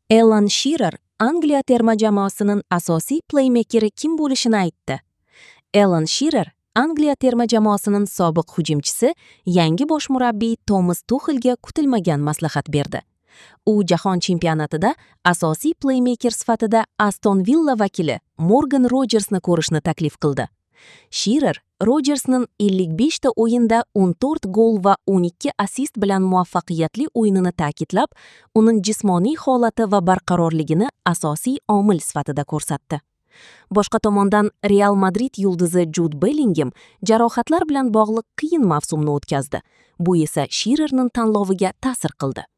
Alan Shearer Angliya terma jamoasining asosiy pleymekeri kim bo'lishini aytdi. Alan Shearer, Angliya terma jamoasining sobiq hujumchisi, yangi bosh murabbiy Tomas Tuxelga kutilmagan maslahat berdi. U jahon chempionatida asosiy pleymeker sifatida Aston Villa vakili Morgan Rojersni ko'rishni taklif qildi. Shearer Rojersning 55 ta o'yinda 14 gol va 12 assist bilan muvaffaqiyatli o'yinini ta'kidlab, uning jismoniy holati va barqarorligini asosiy omil sifatida ko'rsatdi. Boshqa tomondan, Real Madrid yulduzi Jud Bellingem jarohatlar bilan bog'liq qiyin mavsumni o'tkazdi. Bu esa Shearerning tanloviga ta'sir qildi.